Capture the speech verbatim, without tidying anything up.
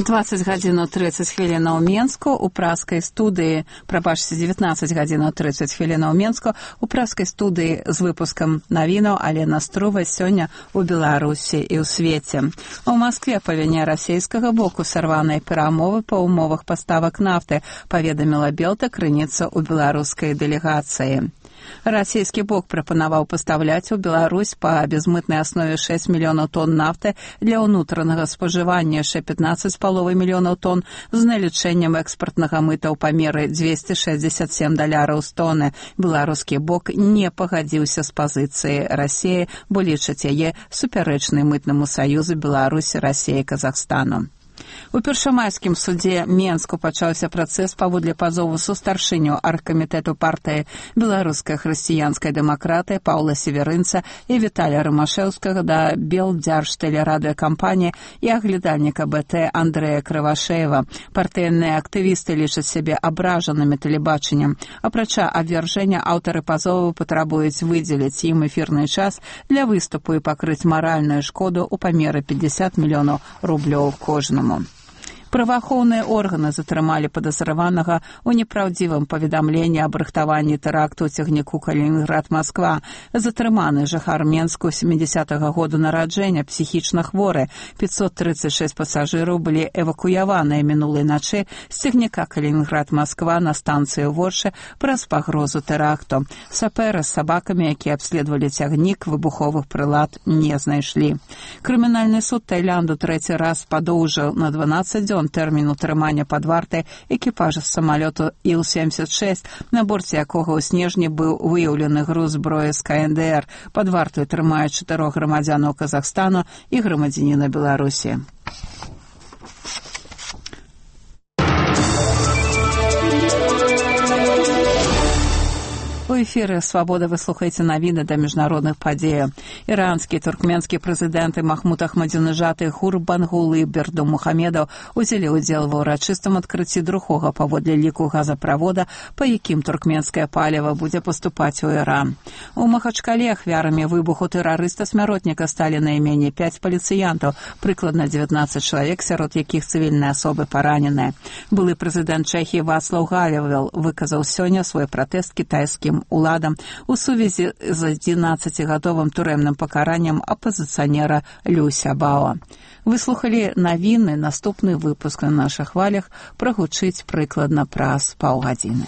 двадцать гадзінаў тридцать хвілінаў Менску у праскай студыі, прабачце, дзевятнаццаць гадзінаў тридцать хвілінаў Менску у праскай студыі з выпускам навінаў Алена Струва сёння ў Беларусі і ў свеце. У Маскве па віне расійскага боку сарваныя перамовы па ўмовах паставак нафты, паведаміла Белта крыніца ў беларускай дэлегацыі. Расійскі бок прапанаваў пастаўляць у Беларусь па безмытнай аснове шэсць мільёнаў тонн нафты для ўнутранага спажывання, яшчэ пятнаццаць з паловай мільёнаў тонн з налічэннем экспартнага мыта ў памеры дзвесце шэсцьдзесят сем даляраў з тоны. Беларускі бок не пагадзіўся з пазіцыі Расіі, бо лічыць яе супярэчнай мытнаму саюзу Беларусі, Расіі і Казахстану. У першамайскім судзе Менску пачаўся працэс паводле пазову сустаршыню аргкамітэту партыі Беларуская хрысціянская дэмакратыя Паўла Северынца і Віталія Рымашэўскага да Белдзяржтэлерадыёкампаніі і аглядальніка БТ Андрэя Крывашэева. Партыйныя актывісты лічаць сябе абражанымі тэлебачаннем. Апрача абвяржэння, аўтары пазову патрабуюць выдзеліць ім эфірны час для выступу і пакрыць маральную шкоду ў памеры пятьдесят мільёнаў рублёў кожнаму. Праваахоўныя органы затрымалі падазраванага ў непраўдзівым паведамленні аб рыхтаванні тэракту ў цягніку Калінінград-Масква. Затрыманы жыхар Менску сямідзесятага году нараджэння, псіхічна хворы. пятьсот тридцать шесть пасажыраў былі эвакуяваныя мінулай начы з цягніка Калінінград-Масква на станцыю Воршы праз пагрозу тэракту. Сапэры з сабакамі, якія абследавалі цягнік, выбуховых прылад не знайшлі. Крымінальны суд Таіланду трэці раз падоўжыў на дванаццаць дзён тэрмін утрымання пад вартай экіпажа з самалёту Іл семьдесят шесть, на борце якога ў снежні быў выяўлены груз зброі з ка эн дэ эр. Пад вартай трымаюць чатырох грамадзянаў Казахстану і грамадзяніна Беларусі. У эфіры «Свабода» вы слухаеце навіны да міжнародных падзеяў. Іранскі і туркменскі прэзідэнты Махмуд Ахмадзінежад і Гурбангулы Бердымухамедаў узялі ўдзел ва ўрачыстым адкрыцці другога паводле ліку газаправода, па якім туркменскае паліва будзе паступаць у Іран. У Махачкале ахвярамі выбуху тэрарыста-смяротніка сталі найменей пяць паліцыянтаў, прыкладна дзевятнаццаць чалавек, сярод якіх цывільныя асобы параненыя. Былы прэзідэнт Чэхіі Вацлаў Гавел выказаў сёння свой пратэст кітайскім уладам у сувязі з адзінаццацігадовым турэмным пакараннем апазіцыянера Лю Сябао. Выслухалі навіны, наступны выпуск на нашых хвалях прагучыць прыкладна праз паўгадзіны.